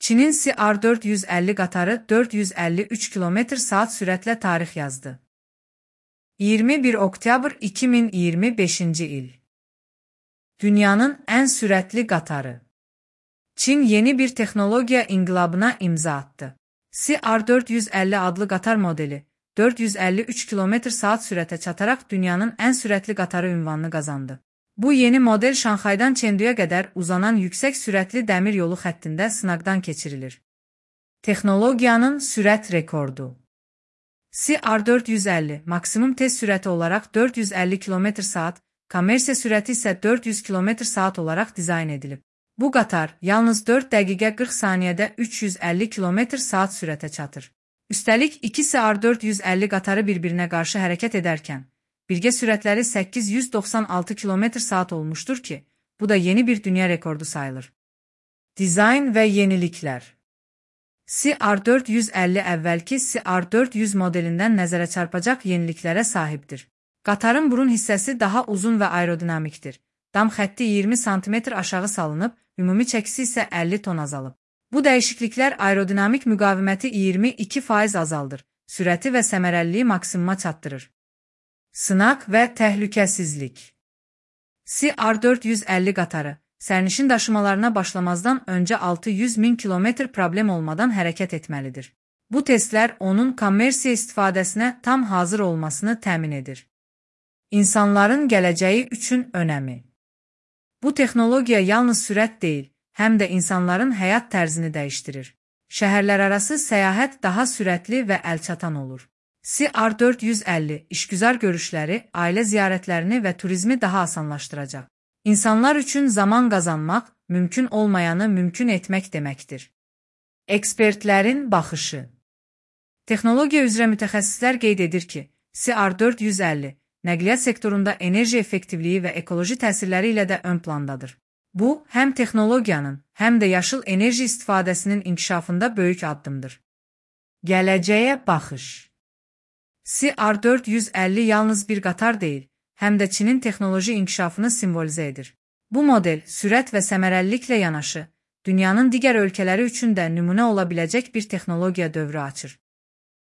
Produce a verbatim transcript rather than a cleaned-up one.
Çinin C R dört yüz əlli qatarı dörd yüz əlli üç kilometr saat sürətlə tarix yazdı. iyirmi bir oktyabr iki min iyirmi beşinci il. Dünyanın ən sürətli qatarı. Çin yeni bir texnologiya inqilabına imza attı. C R dörd yüz əlli adlı qatar modeli dörd yüz əlli üç kilometr saat sürətə çataraq dünyanın ən sürətli qatarı ünvanını qazandı. Bu yeni model Şanxaydan Çenduya qədər uzanan yüksək sürətli dəmir yolu xəttində sınaqdan keçirilir. Texnologiyanın sürət rekordu. C R dörd yüz əlli maksimum tez sürəti olaraq dörd yüz əlli kilometr saat, kommersiya sürəti isə dörd yüz kilometr saat olaraq dizayn edilib. Bu qatar yalnız dörd dəqiqə qırx saniyədə üç yüz əlli kilometr saat sürətə çatır. Üstəlik iki C R dörd yüz əlli qatarı bir-birinə qarşı hərəkət edərkən, birgə sürətləri səkkiz yüz doxsan altı kilometr saat olmuşdur ki, bu da yeni bir dünya rekordu sayılır. Dizayn və yeniliklər. C R dörd yüz əlli əvvəlki C R dörd yüz modelindən nəzərə çarpacaq yeniliklərə sahibdir. Qatarın burun hissəsi daha uzun və aerodinamikdir. Dam xətti iyirmi santimetr aşağı salınıb, ümumi çəkisi isə əlli ton azalıb. Bu dəyişikliklər aerodinamik müqaviməti iyirmi iki faiz azaldır, sürəti və səmərəliliyi maksimuma çatdırır. Sınaq və təhlükəsizlik. C R dörd yüz əlli qatarı sərnişin daşımalarına başlamazdan öncə altı yüz min kilometr problem olmadan hərəkət etməlidir. Bu testlər onun kommersiya istifadəsinə tam hazır olmasını təmin edir. İnsanların gələcəyi üçün önəmi. Bu texnologiya yalnız sürət deyil, həm də insanların həyat tərzini dəyişdirir. Şəhərlərarası səyahət daha sürətli və əlçatan olur. C R dörd yüz əlli işgüzar görüşləri, ailə ziyarətlərini və turizmi daha asanlaşdıracaq. İnsanlar üçün zaman qazanmaq, mümkün olmayanı mümkün etmək deməkdir. Ekspertlərin baxışı. Texnologiya üzrə mütəxəssislər qeyd edir ki, C R dörd yüz əlli nəqliyyat sektorunda enerji effektivliyi və ekoloji təsirləri ilə də ön plandadır. Bu, həm texnologiyanın, həm də yaşıl enerji istifadəsinin inkişafında böyük addımdır. Gələcəyə baxış. C R dörd yüz əlli yalnız bir qatar deyil, həm də Çinin texnoloji inkişafını simvolizə edir. Bu model, sürət və səmərəliliklə yanaşı, dünyanın digər ölkələri üçün də nümunə ola biləcək bir texnologiya dövrü açır.